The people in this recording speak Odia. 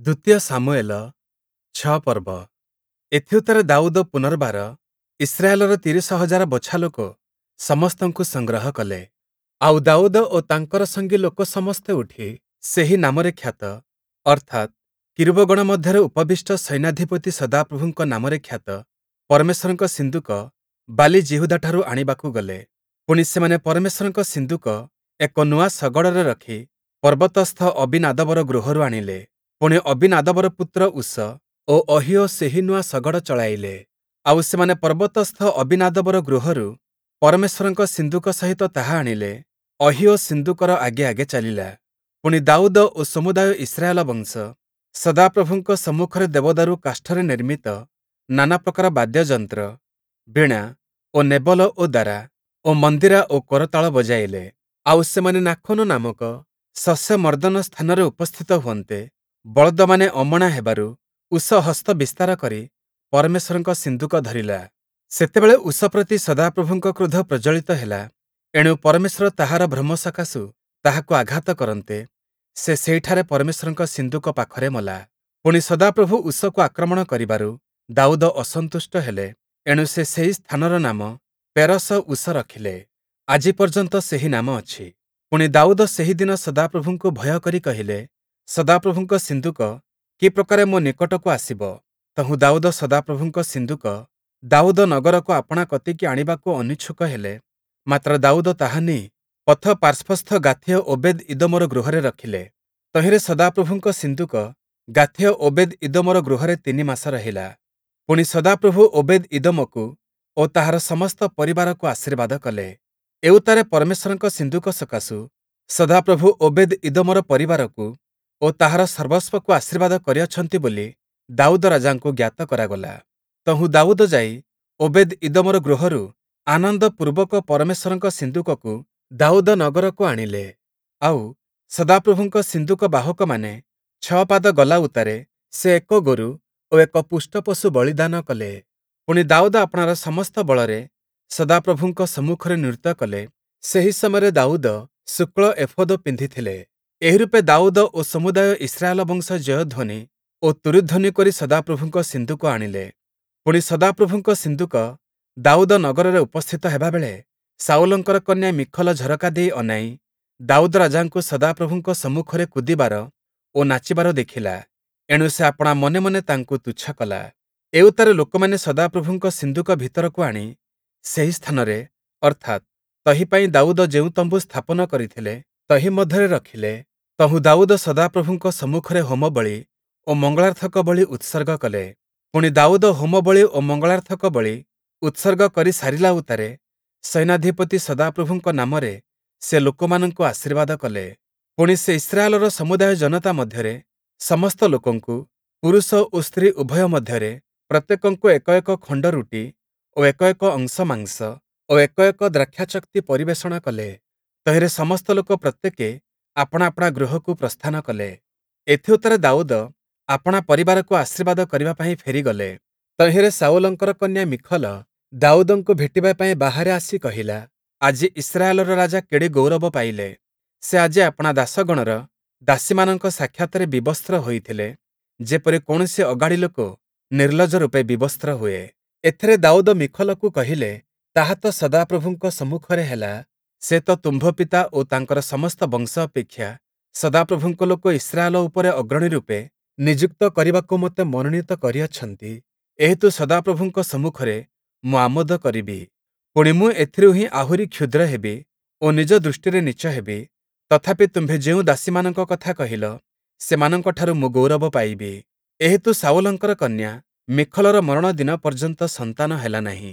ଦ୍ୱିତୀୟ ଶାମୁୟେଲ ୬ ପର୍ବ। ଏଥିଉତ୍ତାରେ ଦାଉଦ ପୁନର୍ବାର ଇସ୍ରାଏଲର ୩୦,୦୦୦ ବଛାଲୋକ ସମସ୍ତଙ୍କୁ ସଂଗ୍ରହ କଲେ। ଆଉ ଦାଉଦ ଓ ତାଙ୍କର ସଙ୍ଗୀ ଲୋକ ସମସ୍ତେ ଉଠି ସେହି ନାମରେ ଖ୍ୟାତ, ଅର୍ଥାତ୍ କିରୂବଗଣ ମଧ୍ୟରେ ଉପବିଷ୍ଟ ସୈନ୍ୟାଧିପତି ସଦାପ୍ରଭୁଙ୍କ ନାମରେ ଖ୍ୟାତ ପରମେଶ୍ୱରଙ୍କ ସିନ୍ଦୁକ ବାଲିଯିହୂଦାଠାରୁ ଆଣିବାକୁ ଗଲେ। ପୁଣି ସେମାନେ ପରମେଶ୍ୱରଙ୍କ ସିନ୍ଦୁକ ଏକ ନୂଆ ଶଗଡ଼ରେ ରଖି ପର୍ବତସ୍ଥ ଅବୀନାଦବର ଗୃହରୁ ଆଣିଲେ। ପୁଣି ଅବୀନାଦବର ପୁତ୍ର ଉସ ଓ ଅହିୟୋ ସେହି ନୂଆ ଶଗଡ଼ ଚଳାଇଲେ। ଆଉ ସେମାନେ ପର୍ବତସ୍ଥ ଅବୀନାଦବର ଗୃହରୁ ପରମେଶ୍ୱରଙ୍କ ସିନ୍ଦୁକ ସହିତ ତାହା ଆଣିଲେ। ଅହିୟୋ ସିନ୍ଦୁକର ଆଗେ ଆଗେ ଚାଲିଲା। ପୁଣି ଦାଉଦ ଓ ସମୁଦାୟ ଇସ୍ରାଏଲ ବଂଶ ସଦାପ୍ରଭୁଙ୍କ ସମ୍ମୁଖରେ ଦେବଦାରୁ କାଷ୍ଠରେ ନିର୍ମିତ ନାନା ପ୍ରକାର ବାଦ୍ୟଯନ୍ତ୍ର, ବୀଣା ଓ ନେବଲ ଓ ଦାରା ଓ ମନ୍ଦିରା ଓ କରତାଳ ବଜାଇଲେ। ଆଉ ସେମାନେ ନାଖୋନ ନାମକ ଶସ୍ୟ ମର୍ଦ୍ଦନ ସ୍ଥାନରେ ଉପସ୍ଥିତ ହୁଅନ୍ତେ, ବଳଦମାନେ ଅମଣା ହେବାରୁ ଉସ ହସ୍ତ ବିସ୍ତାର କରି ପରମେଶ୍ୱରଙ୍କ ସିନ୍ଦୁକ ଧରିଲା। ସେତେବେଳେ ଉସ ପ୍ରତି ସଦାପ୍ରଭୁଙ୍କ କ୍ରୋଧ ପ୍ରଜ୍ୱଳିତ ହେଲା, ଏଣୁ ପରମେଶ୍ୱର ତାହାର ଭ୍ରମ ସକାଶୁ ତାହାକୁ ଆଘାତ କରନ୍ତେ, ସେ ସେହିଠାରେ ପରମେଶ୍ୱରଙ୍କ ସିନ୍ଦୁକ ପାଖରେ ମଲା। ପୁଣି ସଦାପ୍ରଭୁ ଉସକୁ ଆକ୍ରମଣ କରିବାରୁ ଦାଉଦ ଅସନ୍ତୁଷ୍ଟ ହେଲେ, ଏଣୁ ସେ ସେହି ସ୍ଥାନର ନାମ ପେରସ ଉସ ରଖିଲେ। ଆଜି ପର୍ଯ୍ୟନ୍ତ ସେହି ନାମ ଅଛି। ପୁଣି ଦାଉଦ ସେହି ଦିନ ସଦାପ୍ରଭୁଙ୍କୁ ଭୟ କରି କହିଲେ, ସଦାପ୍ରଭୁଙ୍କ ସିନ୍ଦୁକ କି ପ୍ରକାରେ ମୋ ନିକଟକୁ ଆସିବ? ତହୁଁ ଦାଉଦ ସଦାପ୍ରଭୁଙ୍କ ସିନ୍ଦୁକ ଦାଉଦ ନଗରକୁ ଆପଣା କତିକି ଆଣିବାକୁ ଅନିଚ୍ଛୁକ ହେଲେ। ମାତ୍ର ଦାଉଦ ତାହା ନେଇ ପଥ ପାର୍ଶ୍ୱସ୍ଥ ଗାଥୀୟ ଓବେଦ୍ ଇଦୋମର ଗୃହରେ ରଖିଲେ। ତହିଁରେ ସଦାପ୍ରଭୁଙ୍କ ସିନ୍ଦୁକ ଗାଥୀୟ ଓବେଦ୍ ଇଦୋମର ଗୃହରେ ତିନି ମାସ ରହିଲା। ପୁଣି ସଦାପ୍ରଭୁ ଓବେଦ୍ ଇଦୋମକୁ ଓ ତାହାର ସମସ୍ତ ପରିବାରକୁ ଆଶୀର୍ବାଦ କଲେ। ଏଉତ୍ତାରେ ପରମେଶ୍ୱରଙ୍କ ସିନ୍ଦୁକ ସକାଶୁ ସଦାପ୍ରଭୁ ଓବେଦ୍ ଇଦୋମର ପରିବାରକୁ ଓ ତାହାର ସର୍ବସ୍ୱକୁ ଆଶୀର୍ବାଦ କରିଅଛନ୍ତି ବୋଲି ଦାଉଦ ରାଜାଙ୍କୁ ଜ୍ଞାତ କରାଗଲା। ତହୁଁ ଦାଉଦ ଯାଇ ଓବେଦ୍ ଇଦୋମର ଗୃହରୁ ଆନନ୍ଦପୂର୍ବକ ପରମେଶ୍ୱରଙ୍କ ସିନ୍ଦୁକକୁ ଦାଉଦ ନଗରକୁ ଆଣିଲେ। ଆଉ ସଦାପ୍ରଭୁଙ୍କ ସିନ୍ଦୁକ ବାହକମାନେ ଛଅ ପାଦ ଗଲା ଉତ୍ତାରେ ସେ ଏକ ଗୋରୁ ଓ ଏକ ପୁଷ୍ଟ ପଶୁ ବଳିଦାନ କଲେ। ପୁଣି ଦାଉଦ ଆପଣାର ସମସ୍ତ ବଳରେ ସଦାପ୍ରଭୁଙ୍କ ସମ୍ମୁଖରେ ନୃତ୍ୟ କଲେ। ସେହି ସମୟରେ ଦାଉଦ ଶୁକ୍ଳ ଏଫୋଦ ପିନ୍ଧିଥିଲେ। ଏହି ରୂପେ ଦାଉଦ ଓ ସମୁଦାୟ ଇସ୍ରାଏଲ ବଂଶ ଜୟଧ୍ୱନି ଓ ତୂରୀଧ୍ୱନି କରି ସଦାପ୍ରଭୁଙ୍କ ସିନ୍ଦୁକ ଆଣିଲେ। ପୁଣି ସଦାପ୍ରଭୁଙ୍କ ସିନ୍ଦୁକ ଦାଉଦ ନଗରରେ ଉପସ୍ଥିତ ହେବାବେଳେ ଶାଉଲଙ୍କର କନ୍ୟା ମୀଖଲ ଝରକା ଦେଇ ଅନାଇ ଦାଉଦ ରାଜାଙ୍କୁ ସଦାପ୍ରଭୁଙ୍କ ସମ୍ମୁଖରେ କୁଦିବାର ଓ ନାଚିବାର ଦେଖିଲା। ଏଣୁ ସେ ଆପଣା ମନେ ମନେ ତାଙ୍କୁ ତୁଚ୍ଛ କଲା। ଏଉତ୍ତାରେ ଲୋକମାନେ ସଦାପ୍ରଭୁଙ୍କ ସିନ୍ଦୁକ ଭିତରକୁ ଆଣି ସେହି ସ୍ଥାନରେ, ଅର୍ଥାତ୍, ତହିଁ ପାଇଁ ଦାଉଦ ଯେଉଁ ତମ୍ବୁ ସ୍ଥାପନ କରିଥିଲେ, ତହିଁ ମଧ୍ୟରେ ରଖିଲେ। ତହୁଁ ଦାଉଦ ସଦାପ୍ରଭୁଙ୍କ ସମ୍ମୁଖରେ ହୋମବଳି ଓ ମଙ୍ଗଳାର୍ଥକ ବଳି ଉତ୍ସର୍ଗ କଲେ। ପୁଣି ଦାଉଦ ହୋମବଳି ଓ ମଙ୍ଗଳାର୍ଥକ ବଳି ଉତ୍ସର୍ଗ କରି ସାରିଲା ଉତ୍ତାରେ ସୈନ୍ୟାଧିପତି ସଦାପ୍ରଭୁଙ୍କ ନାମରେ ସେ ଲୋକମାନଙ୍କୁ ଆଶୀର୍ବାଦ କଲେ। ପୁଣି ସେ ଇସ୍ରାଏଲର ସମୁଦାୟ ଜନତା ମଧ୍ୟରେ ସମସ୍ତ ଲୋକଙ୍କୁ, ପୁରୁଷ ଓ ସ୍ତ୍ରୀ ଉଭୟ ମଧ୍ୟରେ ପ୍ରତ୍ୟେକଙ୍କୁ ଏକ ଏକ ଖଣ୍ଡ ରୁଟି ଓ ଏକ ଏକ ଅଂଶ ମାଂସ ଓ ଏକ ଏକ ଦ୍ରାକ୍ଷାଚକ୍ତି ପରିବେଷଣ କଲେ। ତହିଁରେ ସମସ୍ତ ଲୋକ ପ୍ରତ୍ୟେକେ ଆପଣା ଆପଣା ଗୃହକୁ ପ୍ରସ୍ଥାନ କଲେ। ଏଥିଉତ୍ତାରେ ଦାଉଦ ଆପଣା ପରିବାରକୁ ଆଶୀର୍ବାଦ କରିବା ପାଇଁ ଫେରିଗଲେ। ତହିଁରେ ଶାଉଲଙ୍କର କନ୍ୟା ମୀଖଲ ଦାଉଦଙ୍କୁ ଭେଟିବା ପାଇଁ ବାହାରେ ଆସି କହିଲା, ଆଜି ଇସ୍ରାଏଲର ରାଜା କେଡ଼େ ଗୌରବ ପାଇଲେ! ସେ ଆଜି ଆପଣା ଦାସଗଣର ଦାସୀମାନଙ୍କ ସାକ୍ଷାତରେ ବିବସ୍ତ୍ର ହୋଇଥିଲେ, ଯେପରି କୌଣସି ଅଗାଡ଼ି ଲୋକ ନିର୍ଲଜ୍ଜ ରୂପେ ବିବସ୍ତ୍ର ହୁଏ। ଏଥିରେ ଦାଉଦ ମୀଖଲକୁ କହିଲେ, ତାହା ତ ସଦାପ୍ରଭୁଙ୍କ ସମ୍ମୁଖରେ ହେଲା। ସେ ତ ତୁମ୍ଭ ପିତା ଓ ତାଙ୍କର ସମସ୍ତ ବଂଶ ଅପେକ୍ଷା ସଦାପ୍ରଭୁଙ୍କ ଲୋକ ଇସ୍ରାଏଲ ଉପରେ ଅଗ୍ରଣୀ ରୂପେ ନିଯୁକ୍ତ କରିବାକୁ ମୋତେ ମନୋନୀତ କରିଅଛନ୍ତି। ଏହେତୁ ସଦାପ୍ରଭୁଙ୍କ ସମ୍ମୁଖରେ ମୁଁ ଆମୋଦ କରିବି। ପୁଣି ମୁଁ ଏଥିରୁ ହିଁ ଆହୁରି କ୍ଷୁଦ୍ର ହେବି ଓ ନିଜ ଦୃଷ୍ଟିରେ ନୀଚ ହେବି। ତଥାପି ତୁମ୍ଭେ ଯେଉଁ ଦାସୀମାନଙ୍କ କଥା କହିଲ, ସେମାନଙ୍କଠାରୁ ମୁଁ ଗୌରବ ପାଇବି। ଏହେତୁ ଶାଉଲଙ୍କର କନ୍ୟା ମୀଖଲର ମରଣ ଦିନ ପର୍ଯ୍ୟନ୍ତ ସନ୍ତାନ ହେଲା ନାହିଁ।